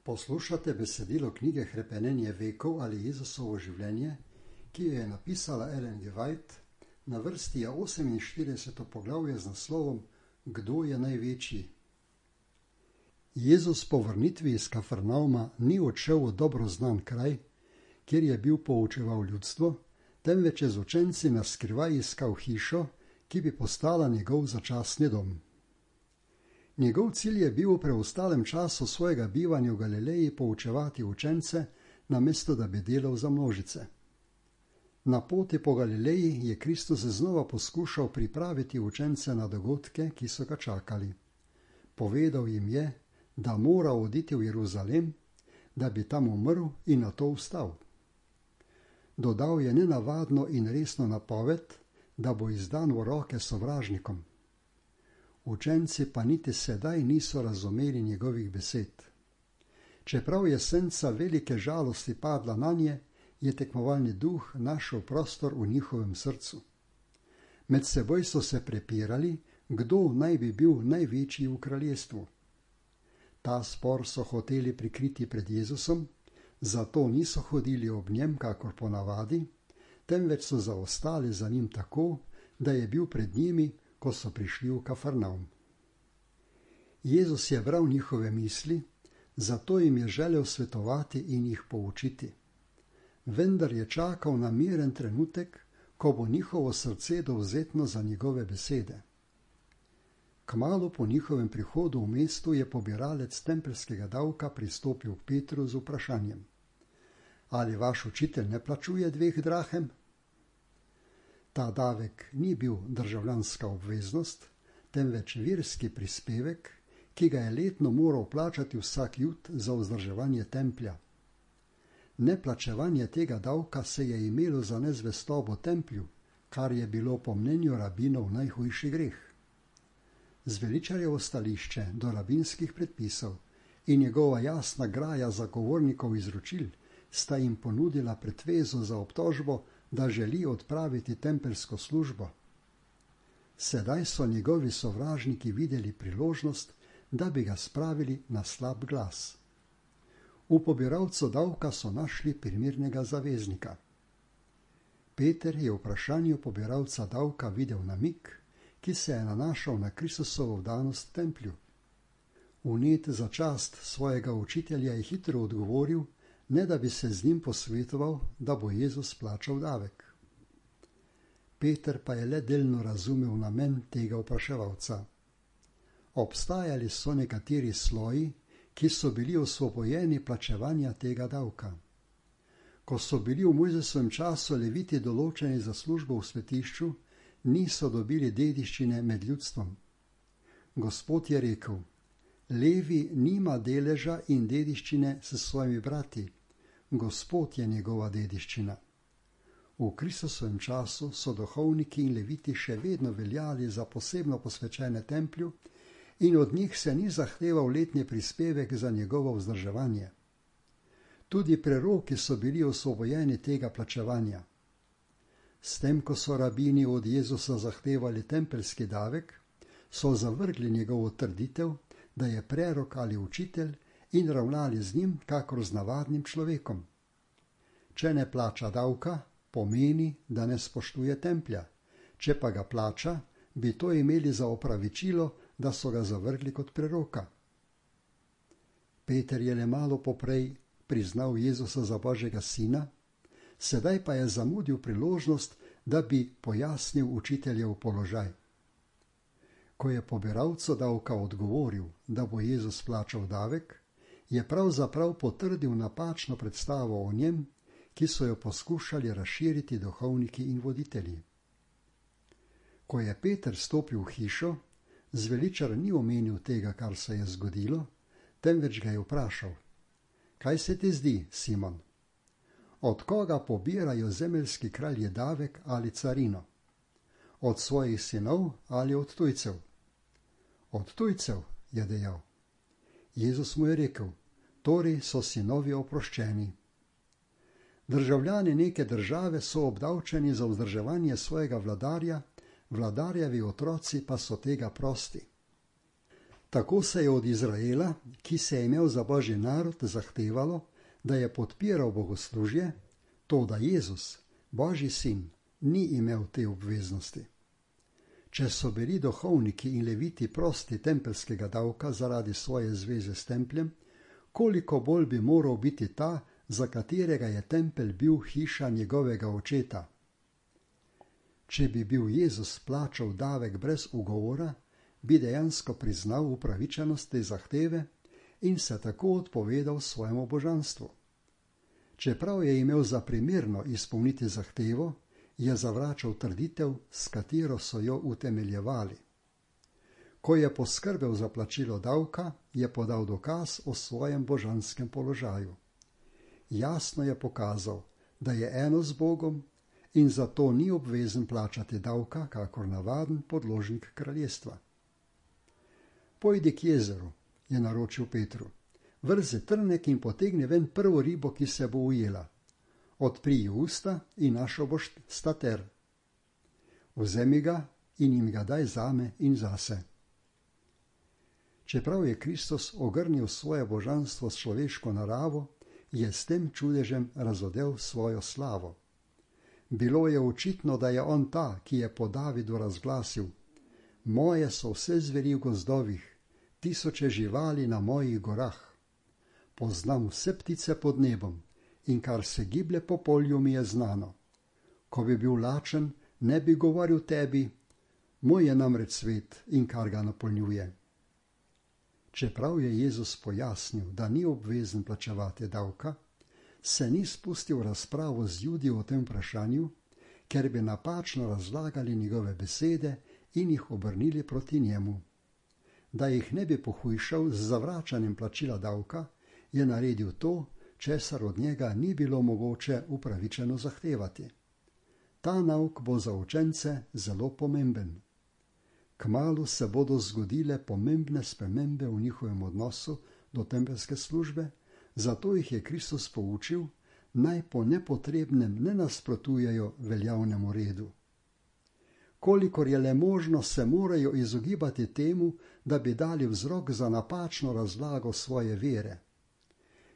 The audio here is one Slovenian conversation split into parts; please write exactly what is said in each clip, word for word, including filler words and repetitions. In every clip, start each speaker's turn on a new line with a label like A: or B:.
A: Poslušate besedilo knjige Hrepenenje vekov ali Jezusovo življenje, ki jo je napisala Ellen G. White. Na vrsti je oseminštirideseto poglavje z naslovom Kdo je največji? Jezus po vrnitvi iz Kafarnauma ni odšel v dobro znan kraj, kjer je bil poučeval ljudstvo, temveč je z učenci na skrivaj iskal hišo, ki bi postala njegov začasni dom. Njegov cilj je bil v preostalem času svojega bivanja v Galileji poučevati učence, namesto da bi delal za množice. Na poti po Galileji je Kristus znova poskušal pripraviti učence na dogodke, ki so ga čakali. Povedal jim je, da mora oditi v Jeruzalem, da bi tam umrl in nato vstal. Dodal je nenavadno in resno napoved, da bo izdan v roke sovražnikom. Učenci pa niti sedaj niso razumeli njegovih besed. Čeprav je senca velike žalosti padla nanje, je tekmovalni duh našel prostor v njihovem srcu. Med seboj so se prepirali, kdo naj bi bil največji v kraljestvu. Ta spor so hoteli prikriti pred Jezusom, zato niso hodili ob njem kakor ponavadi, temveč so zaostali za njim tako, da je bil pred njimi, ko so prišli v Kafarnaum. Jezus je bral njihove misli, zato jim je želel svetovati in jih poučiti. Vendar je čakal na miren trenutek, ko bo njihovo srce dovzetno za njegove besede. Kmalu po njihovem prihodu v mestu je pobiralec tempeljskega davka pristopil k Petru z vprašanjem: Ali vaš učitelj ne plačuje dveh drahem? Ta davek ni bil državljanska obveznost, temveč verski prispevek, ki ga je letno moral plačati vsak jud za vzdrževanje templja. Neplačevanje tega davka se je imelo za nezvestobo templju, kar je bilo po mnenju rabinov najhujši greh. Zveličarjevo stališče do rabinskih predpisov in njegova jasna graja zagovornikov izročil sta jim ponudila pretvezo za obtožbo, da želi odpraviti tempeljsko službo. Sedaj so njegovi sovražniki videli priložnost, da bi ga spravili na slab glas. V pobiralcu davka so našli primernega zaveznika. Peter je v vprašanju pobiralca davka videl namig, ki se je nanašal na Kristusovo vdanost templju. Vnet za čast svojega učitelja je hitro odgovoril, ne da bi se z njim posvetoval, da bo Jezus plačal davek. Peter pa je le delno razumel namen tega vpraševalca. Obstajali so nekateri sloji, ki so bili osvobojeni plačevanja tega davka. Ko so bili v Mojzesovem času leviti določeni za službo v svetišču, niso dobili dediščine med ljudstvom. Gospod je rekel: Levi nima deleža in dediščine s svojimi brati, Gospod je njegova dediščina. V Kristusovem času so duhovniki in leviti še vedno veljali za posebno posvečene templju in od njih se ni zahteval letni prispevek za njegovo vzdrževanje. Tudi preroki so bili osvobojeni tega plačevanja. S tem, ko so rabini od Jezusa zahtevali tempeljski davek, so zavrgli njegovo trditev, da je prerok ali učitelj, in ravnali z njim kakor z navadnim človekom. Če ne plača davka, pomeni, da ne spoštuje templja. Če pa ga plača, bi to imeli za opravičilo, da so ga zavrgli kot preroka. Peter je le malo poprej priznal Jezusa za Božjega sina, sedaj pa je zamudil priložnost, da bi pojasnil učiteljev položaj. Ko je pobiralcu davka odgovoril, da bo Jezus plačal davek, je pravzaprav potrdil napačno predstavo o njem, ki so jo poskušali razširiti duhovniki in voditelji. Ko je Peter stopil v hišo, zveličar ni omenil tega, kar se je zgodilo, temveč ga je vprašal: Kaj se ti zdi, Simon? Od koga pobirajo zemeljski kralji davek ali carino? Od svojih sinov ali od tujcev? Od tujcev, je dejal. Jezus mu je rekel: Torej so sinovi oproščeni. Državljani neke države so obdavčeni za vzdrževanje svojega vladarja, vladarjevi otroci pa so tega prosti. Tako se je od Izraela, ki se je imel za Božji narod, zahtevalo, da je podpiral bogoslužje, to da Jezus, Božji sin, ni imel te obveznosti. Če so bili duhovniki in leviti prosti tempelskega davka zaradi svoje zveze s templjem, koliko bolj bi moral biti ta, za katerega je tempelj bil hiša njegovega očeta. Če bi bil Jezus plačal davek brez ugovora, bi dejansko priznal upravičenost te zahteve in se tako odpovedal svojemu božanstvu. Čeprav je imel za primerno izpolniti zahtevo, je zavračal trditev, s katero so jo utemeljevali. Ko je poskrbel za plačilo davka, je podal dokaz o svojem božanskem položaju. Jasno je pokazal, da je eno z Bogom in zato ni obvezen plačati davka, kakor navaden podložnik kraljestva. Pojdi k jezeru, je naročil Petru, vrzi trnek in potegni ven prvo ribo, ki se bo ujela. Odpri ji usta in našel boš stater. Vzemi ga in jim ga daj zame in zase. Čeprav je Kristus ogrnil svoje božanstvo s človeško naravo, je s tem čudežem razodel svojo slavo. Bilo je očitno, da je on ta, ki je po Davidu razglasil: moje so vse zveri v gozdovih, tisoče živali na mojih gorah. Poznam vse ptice pod nebom in kar se giblje po polju mi je znano. Ko bi bil lačen, ne bi govoril tebi, moj je namreč svet in kar ga napolnjuje. Čeprav je Jezus pojasnil, da ni obvezen plačevati davka, se ni spustil v razpravo z Judi o tem vprašanju, ker bi napačno razlagali njegove besede in jih obrnili proti njemu. Da jih ne bi pohujšal z zavračanjem plačila davka, je naredil to, česar od njega ni bilo mogoče upravičeno zahtevati. Ta nauk bo za učence zelo pomemben. Kmalu se bodo zgodile pomembne spremembe v njihovem odnosu do tempelske službe, zato jih je Kristus poučil, naj po nepotrebnem ne nasprotujejo veljavnemu redu. Kolikor je le možno, se morajo izogibati temu, da bi dali vzrok za napačno razlago svoje vere.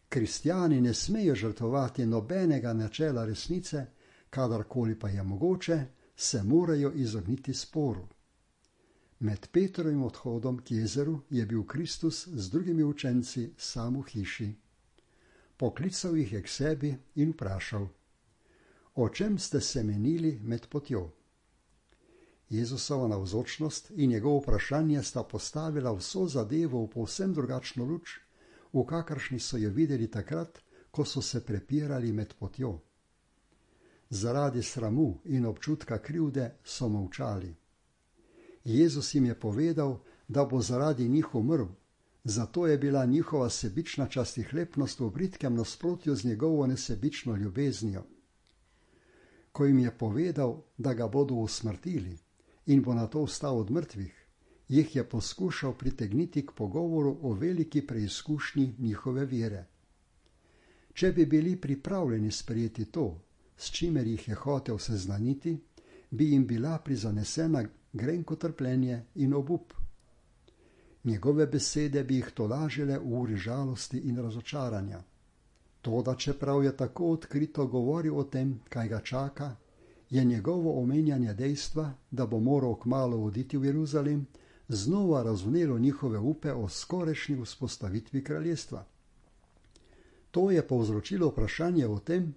A: Kristjani ne smejo žrtvovati nobenega načela resnice, kadarkoli pa je mogoče, se morajo izogniti sporu. Med Petrovim odhodom k jezeru je bil Kristus z drugimi učenci sam v hiši. Poklical jih je k sebi in vprašal: o čem ste se menili med potjo? Jezusova navzočnost in njegovo vprašanje sta postavila vso zadevo v povsem drugačno luč, v kakršni so jo videli takrat, ko so se prepirali med potjo. Zaradi sramu in občutka krivde so molčali. Jezus jim je povedal, da bo zaradi njih umrl, zato je bila njihova sebična častihlepnost v bridkem nasprotju z njegovo nesebično ljubeznijo. Ko jim je povedal, da ga bodo usmrtili in bo nato vstal od mrtvih, jih je poskušal pritegniti k pogovoru o veliki preizkušnji njihove vere. Če bi bili pripravljeni sprejeti to, s čimer jih je hotel seznaniti, bi jim bila prizanesena grenko trpljenje in obup. Njegove besede bi jih tolažile v uri žalosti in razočaranja. Toda čeprav je tako odkrito govoril o tem, kaj ga čaka, je njegovo omenjanje dejstva, da bo moral kmalu oditi v Jeruzalem, znova razvnelo njihove upe o skorajšnji vzpostavitvi kraljestva. To je povzročilo vprašanje o tem,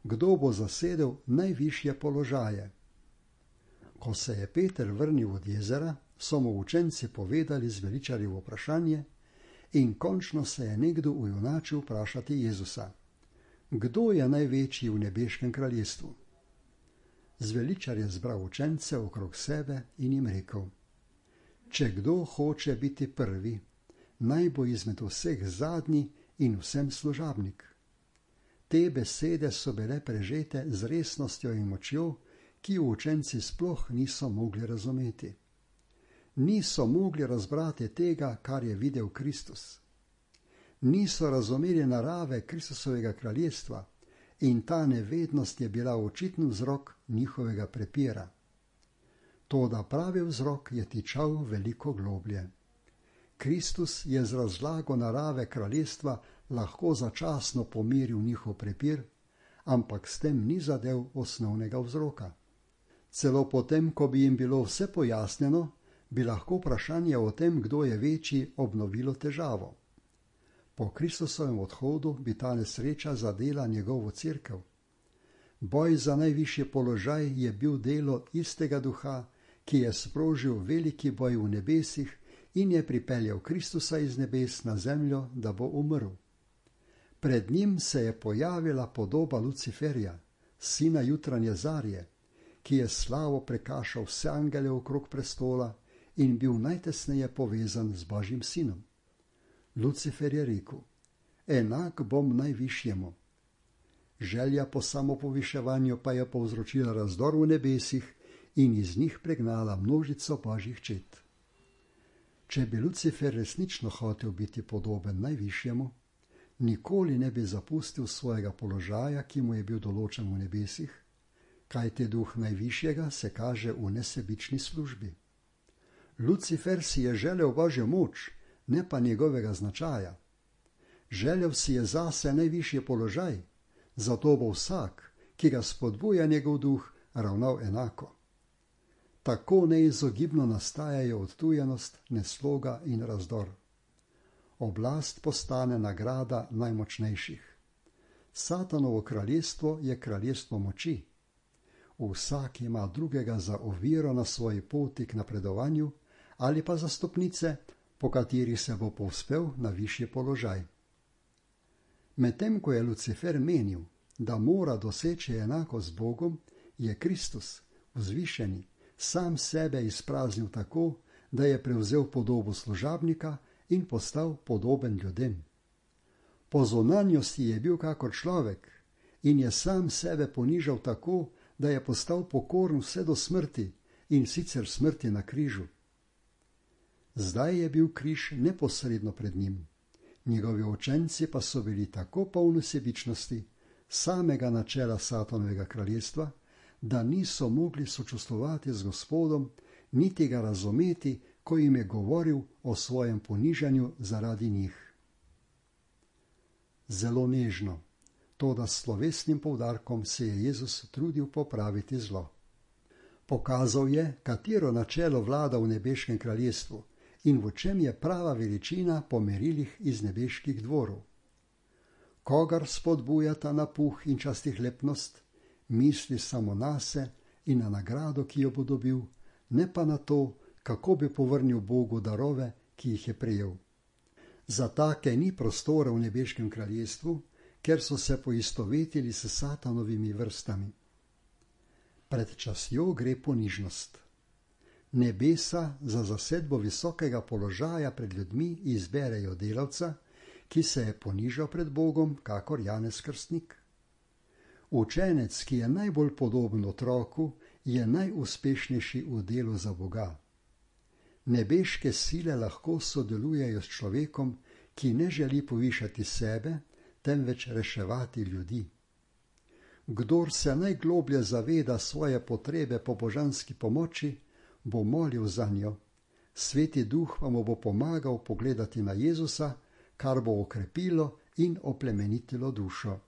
A: kdo bo zasedel najvišje položaje. Ko se je Peter vrnil od jezera, so mu učenci povedali zveličarjevo vprašanje in končno se je nekdo ujunačil vprašati Jezusa: kdo je največji v nebeškem kraljestvu? Zveličar je zbral učence okrog sebe in jim rekel: če kdo hoče biti prvi, naj bo izmed vseh zadnji in vsem služabnik. Te besede so bile prežete z resnostjo in močjo, ki jo učenci sploh niso mogli razumeti. Niso mogli razbrati tega, kar je videl Kristus. Niso razumeli narave Kristusovega kraljestva in ta nevednost je bila očitni vzrok njihovega prepira. Toda pravi vzrok je tičal veliko globlje. Kristus je z razlago narave kraljestva lahko začasno pomiril njihov prepir, ampak s tem ni zadev osnovnega vzroka. Celo potem, ko bi jim bilo vse pojasnjeno, bi lahko vprašanje o tem, kdo je večji, obnovilo težavo. Po Kristusovem odhodu bi ta nesreča zadela njegovo cerkev. Boj za najvišji položaj je bil delo istega duha, ki je sprožil veliki boj v nebesih in je pripeljal Kristusa iz nebes na zemljo, da bo umrl. Pred njim se je pojavila podoba Luciferja, sina jutranje zarje, ki je slavo prekašal vse angele okrog prestola in bil najtesneje povezan z Božjim sinom. Lucifer je rekel: enak bom najvišjemu. Želja po samopoviševanju pa je povzročila razdor v nebesih in iz njih pregnala množico Božjih čet. Če bi Lucifer resnično hotel biti podoben najvišjemu, nikoli ne bi zapustil svojega položaja, ki mu je bil določen v nebesih, kajti duh najvišjega se kaže v nesebični službi. Lucifer si je želel Božjo moč, ne pa njegovega značaja. Želel si je zase najvišji položaj, zato bo vsak, ki ga spodbuja njegov duh, ravnal enako. Tako neizogibno nastajajo odtujenost, nesloga in razdor. Oblast postane nagrada najmočnejših. Satanovo kraljestvo je kraljestvo moči. Vsak ima drugega za oviro na svoji poti k napredovanju ali pa za stopnice, po katerih se bo povzpel na višji položaj. Medtem ko je Lucifer menil, da mora doseči enako z Bogom, je Kristus, vzvišeni, sam sebe izpraznil tako, da je prevzel podobo služabnika in postal podoben ljudem. Po zunanjosti je bil kakor človek in je sam sebe ponižal tako, da je postal pokoren vse do smrti in sicer smrti na križu. Zdaj je bil križ neposredno pred njim. Njegovi učenci pa so bili tako polni sebičnosti, samega načela Satanovega kraljestva, da niso mogli sočustvovati z Gospodom, niti ga razumeti, ko jim je govoril o svojem ponižanju zaradi njih. Zelo nežno, toda s slovesnim poudarkom se je Jezus trudil popraviti zlo. Pokazal je, katero načelo vlada v nebeškem kraljestvu in v čem je prava veličina po merilih iz nebeških dvorov. Kogar spodbujata na puh in častihlepnost, misli samo nase in na nagrado, ki jo bo dobil, ne pa na to, kako bi povrnil Bogu darove, ki jih je prejel. Za take ni prostora v nebeškem kraljestvu, ker so se poistovetili s Satanovimi vrstami. Pred častjo gre ponižnost. Nebesa za zasedbo visokega položaja pred ljudmi izberejo delavca, ki se je ponižal pred Bogom, kakor Janez Krstnik. Učenec, ki je najbolj podoben otroku, je najuspešnejši v delu za Boga. Nebeške sile lahko sodelujejo s človekom, ki ne želi povišati sebe, temveč reševati ljudi. Kdor se najgloblje zaveda svoje potrebe po božanski pomoči, bo molil za njo. Sveti duh pa mu bo pomagal pogledati na Jezusa, kar bo okrepilo in oplemenitilo dušo.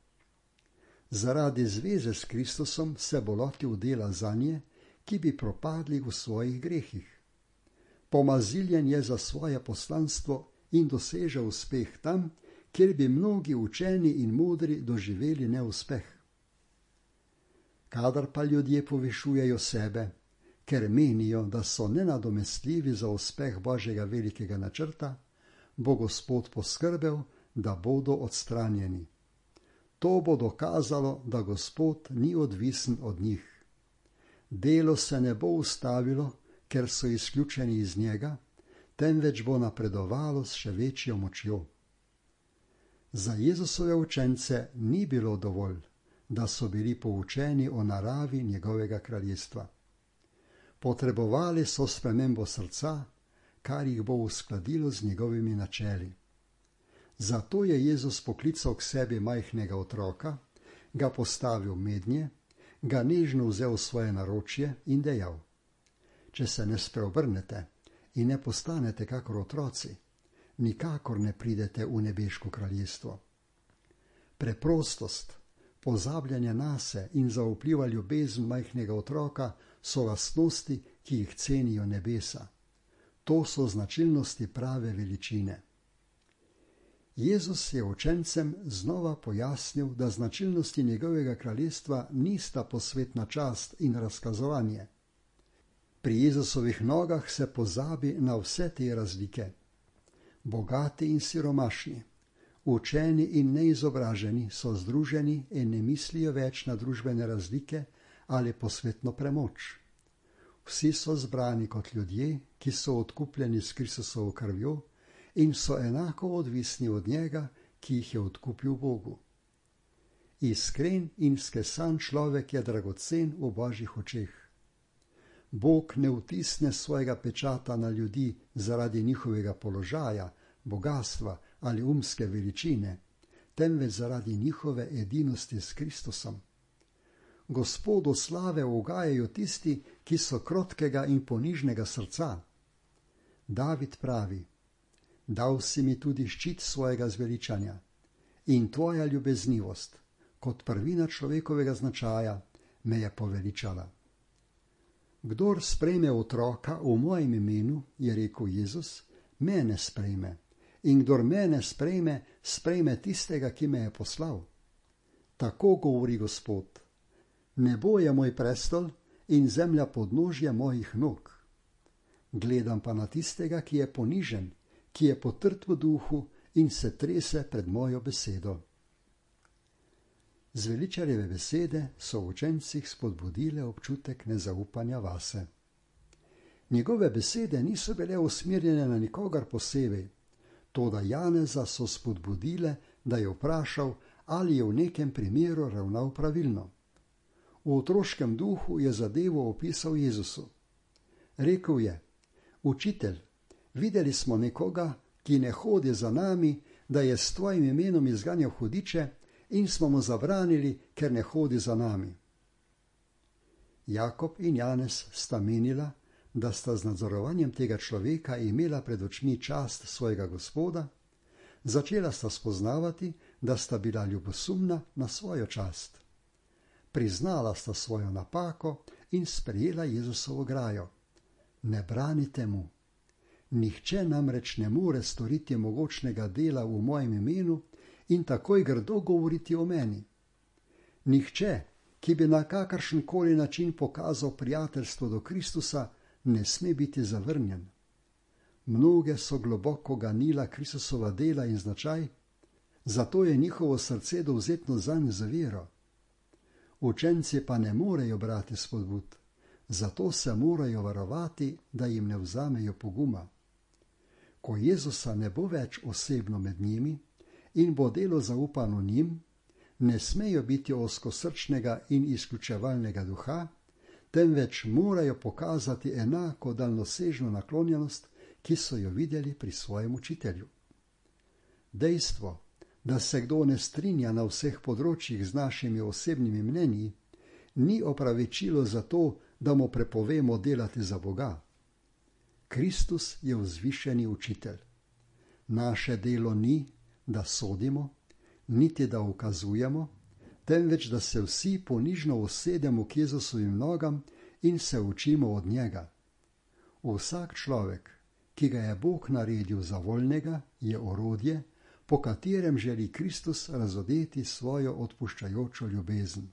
A: Zaradi zveze s Kristusom se bo lotil dela zanje, ki bi propadli v svojih grehih. Pomaziljen je za svoje poslanstvo in doseže uspeh tam, kjer bi mnogi učeni in modri doživeli neuspeh. Kadar pa ljudje povišujejo sebe, ker menijo, da so nenadomestljivi za uspeh Božjega velikega načrta, bo Gospod poskrbel, da bodo odstranjeni. To bo dokazalo, da Gospod ni odvisen od njih. Delo se ne bo ustavilo, ker so izključeni iz njega, temveč bo napredovalo s še večjo močjo. Za Jezusove učence ni bilo dovolj, da so bili poučeni o naravi njegovega kraljestva. Potrebovali so spremembo srca, kar jih bo uskladilo z njegovimi načeli. Zato je Jezus poklical k sebi majhnega otroka, ga postavil mednje, ga nežno vzel v svoje naročje in dejal: Če se ne spreobrnete in ne postanete kakor otroci, nikakor ne pridete v nebeško kraljestvo. Preprostost, pozabljanje nase in zaupljiva ljubezen majhnega otroka so lastnosti, ki jih cenijo nebesa. To so značilnosti prave veličine. Jezus je učencem znova pojasnil, da značilnosti njegovega kraljestva nista posvetna čast in razkazovanje. Pri Jezusovih nogah se pozabi na vse te razlike. Bogati in siromašni, učeni in neizobraženi so združeni in ne mislijo več na družbene razlike ali posvetno premoč. Vsi so zbrani kot ljudje, ki so odkupljeni s Kristusovo krvjo in so enako odvisni od njega, ki jih je odkupil Bogu. Iskren in skesan človek je dragocen v Božjih očeh. Bog ne vtisne svojega pečata na ljudi zaradi njihovega položaja, bogastva ali umske veličine, temveč zaradi njihove edinosti s Kristusom. Gospodu slave ugajajo tisti, ki so krotkega in ponižnega srca. David pravi: Dal si mi tudi ščit svojega zveličanja in tvoja ljubeznivost, kot prvina človekovega značaja, me je poveličala. Kdor sprejme otroka v mojem imenu, je rekel Jezus, mene sprejme, in kdor mene sprejme, sprejme tistega, ki me je poslal. Tako govori Gospod: nebo je moj prestol in zemlja podnožje mojih nog. Gledam pa na tistega, ki je ponižen, ki je potrt v duhu in se trese pred mojo besedo. Zveličarjeve besede so v učencih spodbudile občutek nezaupanja vase. Njegove besede niso bile usmerjene na nikogar posebej, toda Janeza so spodbudile, da je vprašal, ali je v nekem primeru ravnal pravilno. V otroškem duhu je zadevo opisal Jezusu. Rekel je: Učitelj, videli smo nekoga, ki ne hodi za nami, da je s tvojim imenom izganjal hudiče, in smo mu zabranili, ker ne hodi za nami. Jakob in Janez sta menila, da sta z nadzorovanjem tega človeka imela pred očmi čast svojega Gospoda, začela sta spoznavati, da sta bila ljubosumna na svojo čast. Priznala sta svojo napako in sprejela Jezusovo grajo. Ne branite mu. Nihče namreč ne more storiti mogočnega dela v mojem imenu in takoj grdo govoriti o meni. Nihče, ki bi na kakršenkoli način pokazal prijateljstvo do Kristusa, ne sme biti zavrnjen. Mnoge so globoko ganila Kristusova dela in značaj, zato je njihovo srce dovzetno zanj z vero. Učenci pa ne morejo brati spodbud, zato se morajo varovati, da jim ne vzamejo poguma. Ko Jezusa ne bo več osebno med njimi in bo delo zaupano njim, ne smejo biti ozkosrčnega in izključevalnega duha, temveč morajo pokazati enako daljnosežno naklonjenost, ki so jo videli pri svojem učitelju. Dejstvo, da se kdo ne strinja na vseh področjih z našimi osebnimi mnenji, ni opravičilo za to, da mu prepovemo delati za Boga. Kristus je vzvišeni učitelj. Naše delo ni, da sodimo, niti da ukazujemo, temveč da se vsi ponižno usedemo k Jezusovim nogam in se učimo od njega. Vsak človek, ki ga je Bog naredil za voljnega, je orodje, po katerem želi Kristus razodeti svojo odpuščajočo ljubezen.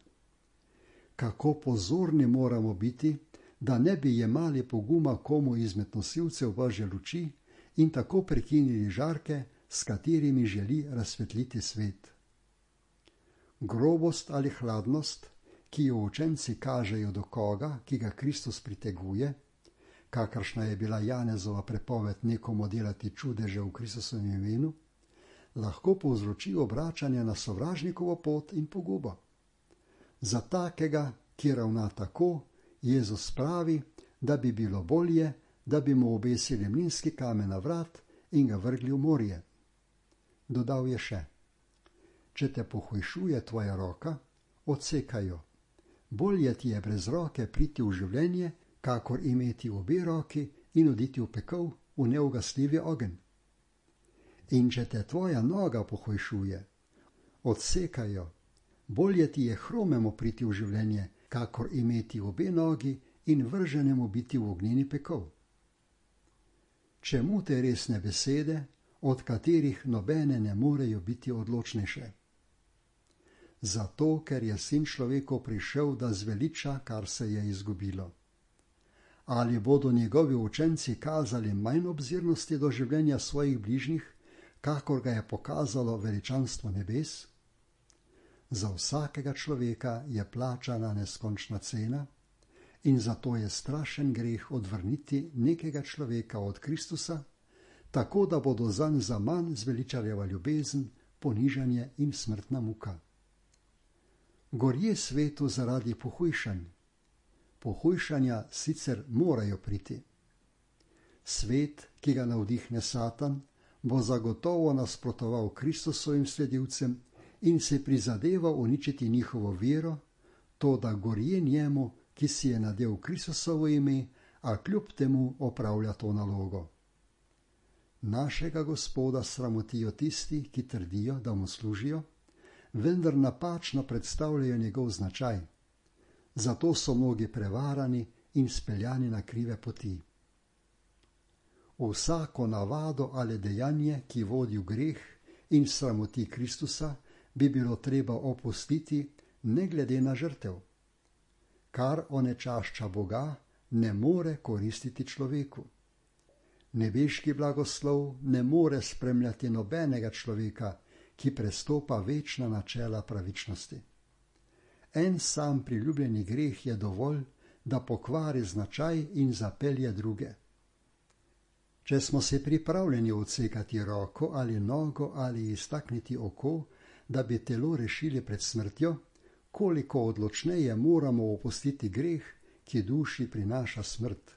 A: Kako pozorni moramo biti, da ne bi jemali poguma komu izmed nosilcev Božje luči in tako prekinili žarke, s katerimi želi razsvetliti svet. Grobost ali hladnost, ki jo učenci kažejo do koga, ki ga Kristus priteguje, kakršna je bila Janezova prepoved nekomu delati čudeže v Kristusovem imenu, lahko povzroči obračanje na sovražnikovo pot in pogubo. Za takega, ki ravna tako, Jezus pravi, da bi bilo bolje, da bi mu obesili mlinski kamen na vrat in ga vrgli v morje. Dodal je še: če te pohujšuje tvoja roka, odsekaj jo. Bolje ti je brez roke priti v življenje, kakor imeti obe roki in oditi v pekel, v neugasljivi ogenj. In če te tvoja noga pohujšuje, odsekajo, bolje ti je hromemu priti v življenje, kakor imeti obe nogi in vrženemu biti v ognjeni pekel. Čemu te resne besede, od katerih nobene ne morejo biti odločnejše? Zato, ker je Sin človekov prišel, da zveliča, kar se je izgubilo. Ali bodo njegovi učenci kazali manj obzirnosti do življenja svojih bližnjih, kakor ga je pokazalo veličanstvo nebes? Za vsakega človeka je plačana neskončna cena in zato je strašen greh odvrniti nekega človeka od Kristusa, tako da bodo zanj zaman zveličarjeva ljubezen, ponižanje in smrtna muka. Gorje svetu zaradi pohujšanj. Pohujšanja sicer morajo priti. Svet, ki ga navdihne Satan, bo zagotovo nasprotoval Kristusovim sledilcem in se prizadeval uničiti njihovo vero, to da gorje njemu, ki si je nadel Kristusovo ime, a kljub temu opravlja to nalogo. Našega Gospoda sramotijo tisti, ki trdijo, da mu služijo, vendar napačno predstavljajo njegov značaj. Zato so mnogi prevarani in speljani na krive poti. Vsako navado ali dejanje, ki vodi v greh in sramoti Kristusa, bi bilo treba opustiti ne glede na žrtev. Kar onečašča Boga, ne more koristiti človeku. Nebeški blagoslov ne more spremljati nobenega človeka, ki prestopa večna načela pravičnosti. En sam priljubljeni greh je dovolj, da pokvari značaj in zapelje druge. Če smo se pripravljeni odsekati roko ali nogo ali iztakniti oko, da bi telo rešili pred smrtjo, koliko odločneje moramo opustiti greh, ki duši prinaša smrt.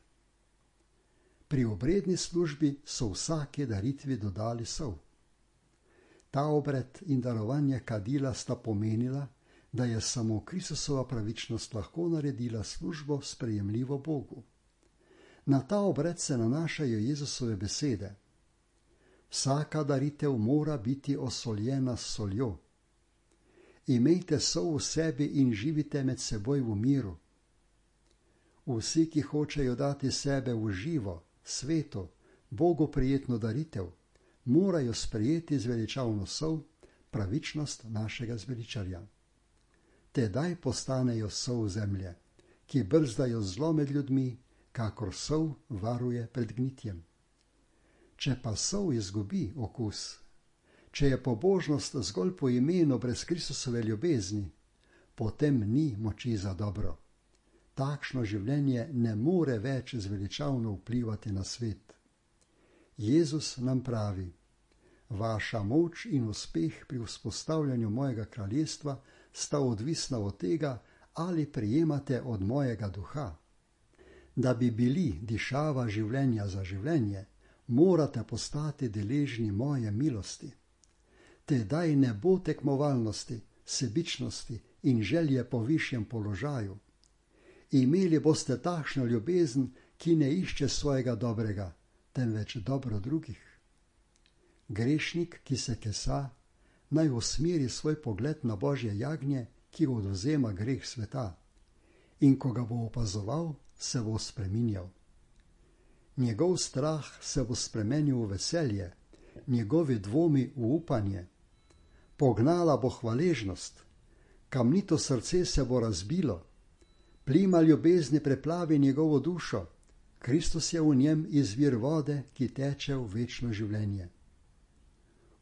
A: Pri obredni službi so vsake daritvi dodali sol. Ta obred in darovanje kadila sta pomenila, da je samo Kristusova pravičnost lahko naredila službo sprejemljivo Bogu. Na ta obred se nanašajo Jezusove besede. Vsaka daritev mora biti osoljena s soljo. Imejte sol v sebi in živite med seboj v miru. Vsi, ki hočejo dati sebe v živo, sveto, Bogu prijetno daritev, morajo sprejeti zveličavno sol, pravičnost našega zveličarja. Tedaj postanejo sol zemlje, ki brzdajo zlo med ljudmi, kakor sol varuje pred gnitjem. Če pa sol izgubi okus, če je pobožnost zgolj po imenu brez Kristusove ljubezni, potem ni moči za dobro. Takšno življenje ne more več zveličavno vplivati na svet. Jezus nam pravi: vaša moč in uspeh pri vzpostavljanju mojega kraljestva sta odvisna od tega, ali prejemate od mojega duha. Da bi bili dišava življenja za življenje, morate postati deležni moje milosti. Tedaj ne bo tekmovalnosti, sebičnosti in želje po višjem položaju. Imeli boste takšno ljubezen, ki ne išče svojega dobrega, temveč dobro drugih. Grešnik, ki se kesa, naj usmeri svoj pogled na Božje jagnje, ki odvzema greh sveta, in ko ga bo opazoval, se bo spreminjal. Njegov strah se bo spremenil v veselje, njegovi dvomi v upanje. Pognala bo hvaležnost, kamnito srce se bo razbilo, plima ljubezni preplavi njegovo dušo, Kristus je v njem izvir vode, ki teče v večno življenje.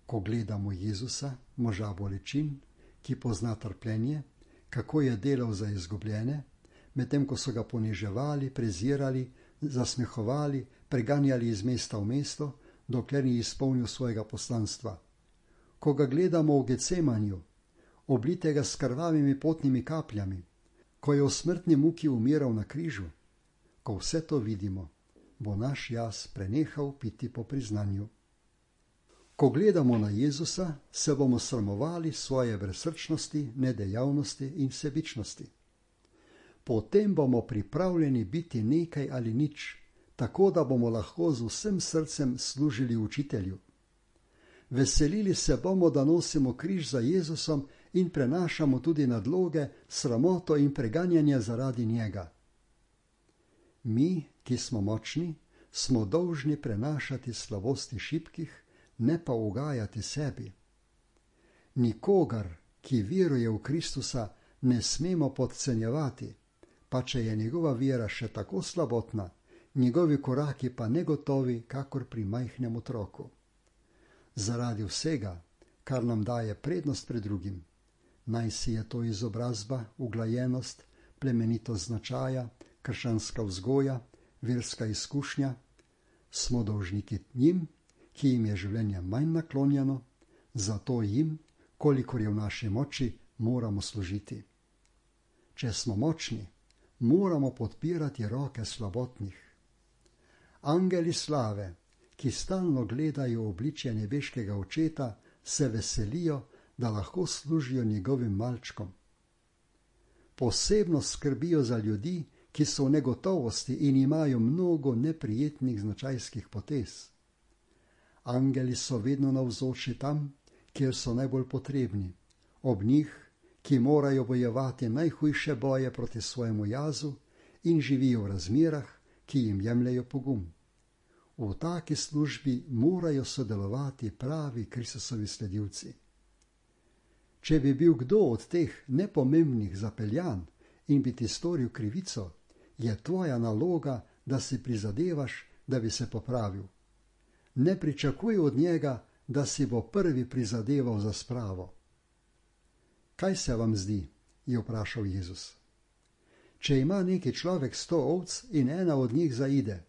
A: Ko gledamo Jezusa, moža bolečin, ki pozna trpljenje, kako je delal za izgubljene, medtem ko so ga poniževali, prezirali, zasmehovali, preganjali iz mesta v mesto, dokler ni izpolnil svojega poslanstva. Ko ga gledamo v Getsemanju, oblitega s krvavimi potnimi kapljami, ko je v smrtni muki umiral na križu, ko vse to vidimo, bo naš jaz prenehal piti po priznanju. Ko gledamo na Jezusa, se bomo sramovali svoje brezsrčnosti, nedejavnosti in sebičnosti. Potem bomo pripravljeni biti nekaj ali nič, tako da bomo lahko z vsem srcem služili učitelju. Veselili se bomo, da nosimo križ za Jezusom in prenašamo tudi nadloge, sramoto in preganjanje zaradi njega. Mi, ki smo močni, smo dolžni prenašati slabosti šibkih, ne pa ugajati sebi. Nikogar, ki veruje v Kristusa, ne smemo podcenjevati, pa če je njegova vera še tako slabotna, njegovi koraki pa negotovi, kakor pri majhnem otroku. Zaradi vsega, kar nam daje prednost pred drugim, naj si je to izobrazba, uglajenost, plemenitost značaja, krščanska vzgoja, verska izkušnja, smo dolžniki njim, ki jim je življenje manj naklonjeno, zato jim, kolikor je v naši moči, moramo služiti. Če smo močni, moramo podpirati roke slabotnih. Angeli slave, ki stalno gledajo obličje nebeškega očeta, se veselijo, da lahko služijo njegovim malčkom. Posebno skrbijo za ljudi, ki so v negotovosti in imajo mnogo neprijetnih značajskih potez. Angeli so vedno navzoči tam, kjer so najbolj potrebni, ob njih, ki morajo bojevati najhujše boje proti svojemu jazu in živijo v razmerah, ki jim jemljejo pogum. V taki službi morajo sodelovati pravi Kristusovi sledilci. Če bi bil kdo od teh nepomembnih zapeljan in bi ti storil krivico, je tvoja naloga, da si prizadevaš, da bi se popravil. Ne pričakuj od njega, da si bo prvi prizadeval za spravo. Kaj se vam zdi? Je vprašal Jezus. Če ima neki človek sto ovc in ena od njih zaide,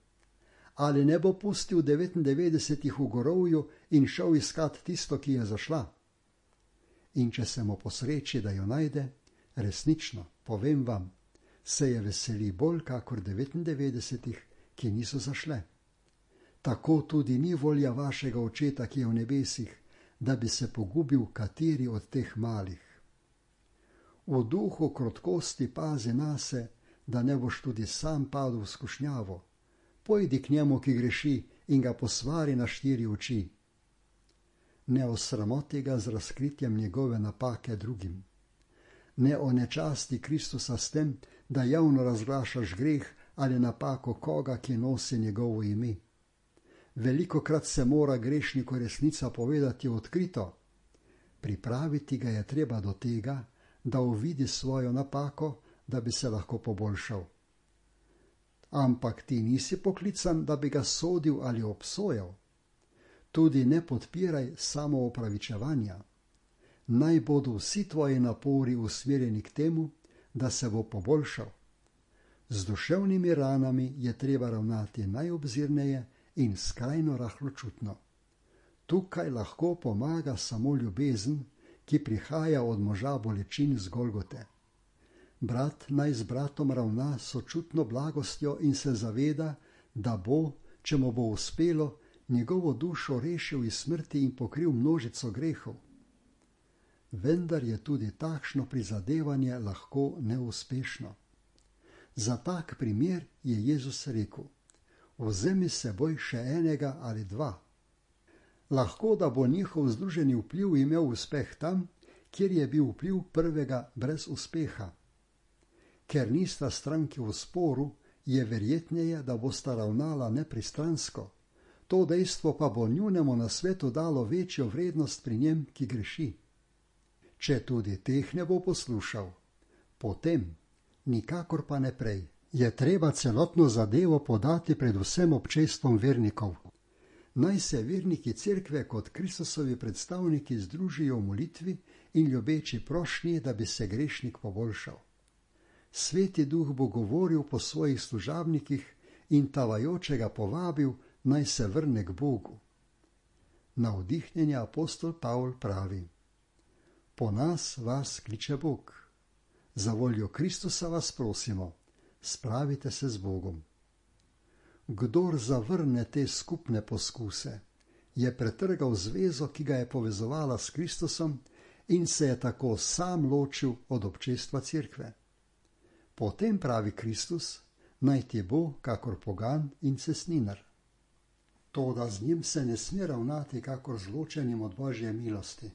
A: ali ne bo pustil devetindevetdesetih v gorovju in šel iskat tisto, ki je zašla? In če se mu posreči, da jo najde, resnično, povem vam, se je veseli bolj kakor devetindevetdesetih, ki niso zašle. Tako tudi ni volja vašega očeta, ki je v nebesih, da bi se pogubil kateri od teh malih. V duhu krotkosti pazi nase, da ne boš tudi sam padel v skušnjavo. Pojdi k njemu, ki greši, in ga posvari na štiri oči. Ne osramoti ga z razkritjem njegove napake drugim. Ne onečasti Kristusa s tem, da javno razglašaš greh ali napako koga, ki nosi njegovo ime. Velikokrat se mora grešniku resnica povedati odkrito. Pripraviti ga je treba do tega, da uvidi svojo napako, da bi se lahko poboljšal. Ampak ti nisi poklican, da bi ga sodil ali obsojal. Tudi ne podpiraj samoopravičevanja. Naj bodo vsi tvoji napori usmerjeni k temu, da se bo poboljšal. Z duševnimi ranami je treba ravnati najobzirneje in skrajno rahločutno. Tukaj lahko pomaga samo ljubezen, ki prihaja od moža bolečin z Golgote. Brat naj z bratom ravna sočutno blagostjo in se zaveda, da bo, če mu bo uspelo, njegovo dušo rešil iz smrti in pokril množico grehov. Vendar je tudi takšno prizadevanje lahko neuspešno. Za tak primer je Jezus rekel: vzemi s seboj še enega ali dva. Lahko da bo njihov združeni vpliv imel uspeh tam, kjer je bil vpliv prvega brez uspeha. Ker nista stranki v sporu, je verjetneje, da bosta ravnala nepristransko. To dejstvo pa bo njunemu nasvetu dalo večjo vrednost pri njem, ki greši. Če tudi teh ne bo poslušal, potem, nikakor pa ne prej, je treba celotno zadevo podati pred vsem občestvom vernikov. Naj se verniki cerkve kot Kristusovi predstavniki združijo v molitvi in ljubeči prošnji, da bi se grešnik poboljšal. Sveti duh bo govoril po svojih služabnikih in tavajočega povabil, naj se vrne k Bogu. Navdihnjeni apostol Pavl pravi: po nas vas kliče Bog. Za voljo Kristusa vas prosimo, spravite se z Bogom. Kdor zavrne te skupne poskuse, je pretrgal zvezo, ki ga je povezovala s Kristusom, in se je tako sam ločil od občestva cerkve. Potem pravi Kristus, naj ti bo kakor pogan in cestninar. Toda z njim se ne sme ravnati kakor z ločenim od Božje milosti.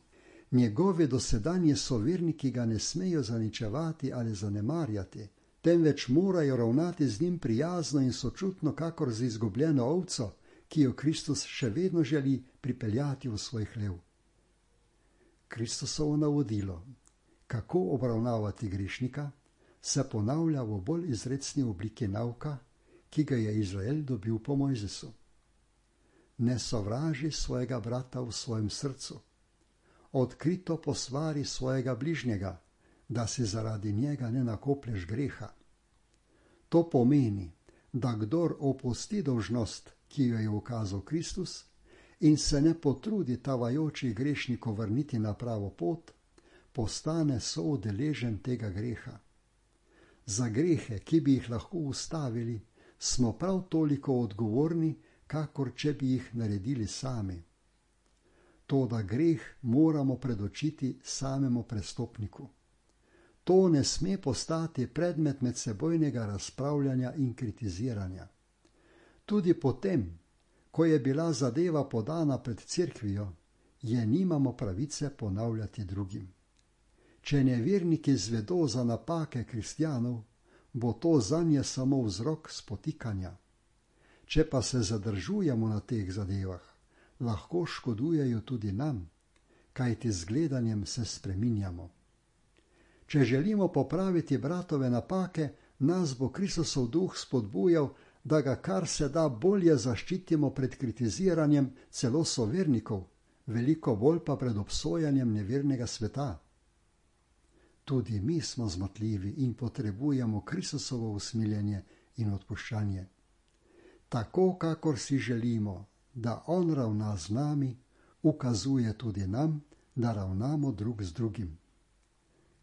A: Njegovi dosedanji soverniki ga ne smejo zaničevati ali zanemarjati, temveč morajo ravnati z njim prijazno in sočutno kakor z izgubljeno ovco, ki jo Kristus še vedno želi pripeljati v svoj hlev. Kristusovo navodilo, kako obravnavati grešnika, se ponavlja v bolj izrecni obliki nauka, ki ga je Izrael dobil po Mojzesu. Ne sovraži svojega brata v svojem srcu. Odkrito posvari svojega bližnjega, da si zaradi njega ne nakoplješ greha. To pomeni, da kdor opusti dolžnost, ki jo je ukazal Kristus, in se ne potrudi tavajočih grešnikov vrniti na pravo pot, postane soudeležen tega greha. Za grehe, ki bi jih lahko ustavili, smo prav toliko odgovorni, kakor če bi jih naredili sami. Toda greh moramo predočiti samemu prestopniku. To ne sme postati predmet medsebojnega razpravljanja in kritiziranja. Tudi potem, ko je bila zadeva podana pred cerkvijo, je nimamo pravice ponavljati drugim. Če neverniki zvedo za napake kristjanov, bo to zanje samo vzrok spotikanja. Če pa se zadržujemo na teh zadevah, lahko škodujejo tudi nam, kajti z gledanjem se spreminjamo. Če želimo popraviti bratove napake, nas bo Kristusov duh spodbujal, da ga kar se da bolje zaščitimo pred kritiziranjem celo sovernikov, veliko bolj pa pred obsojanjem nevernega sveta. Tudi mi smo zmotljivi in potrebujemo Kristusovo usmiljenje in odpuščanje. Tako, kakor si želimo, da on ravna z nami, ukazuje tudi nam, da ravnamo drug z drugim.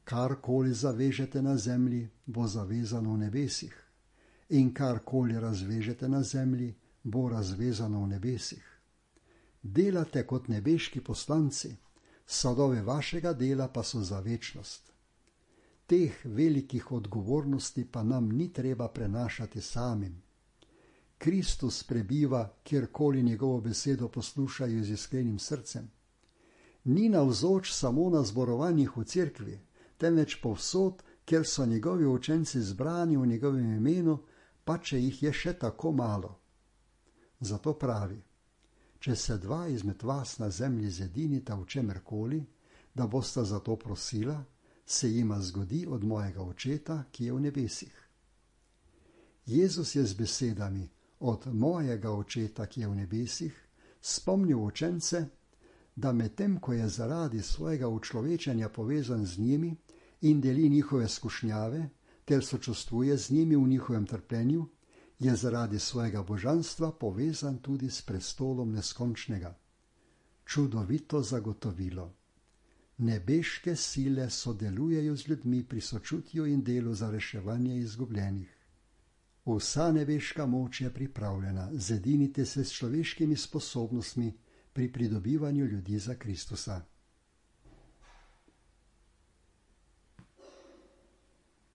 A: Karkoli zavežete na zemlji, bo zavezano v nebesih, in karkoli razvežete na zemlji, bo razvezano v nebesih. Delate kot nebeški poslanci, sadove vašega dela pa so za večnost. Teh velikih odgovornosti pa nam ni treba prenašati samim. Kristus prebiva, kjerkoli njegovo besedo poslušajo z iskrenim srcem. Ni navzoč samo na zborovanjih v cerkvi, temveč povsod, kjer so njegovi učenci zbrani v njegovem imenu, pa če jih je še tako malo. Zato pravi, če se dva izmed vas na zemlji zedinita v čemerkoli, da bosta za to prosila, se jima zgodi od mojega očeta, ki je v nebesih. Jezus je z besedami od mojega očeta, ki je v nebesih, spomnil učence, da medtem, ko je zaradi svojega učlovečenja povezan z njimi in deli njihove skušnjave, ter sočustvuje z njimi v njihovem trpljenju, je zaradi svojega božanstva povezan tudi s prestolom neskončnega. Čudovito zagotovilo. Nebeške sile sodelujejo z ljudmi pri sočutju in delu za reševanje izgubljenih. Vsa nebeška moč je pripravljena, zedinite se s človeškimi sposobnostmi pri pridobivanju ljudi za Kristusa.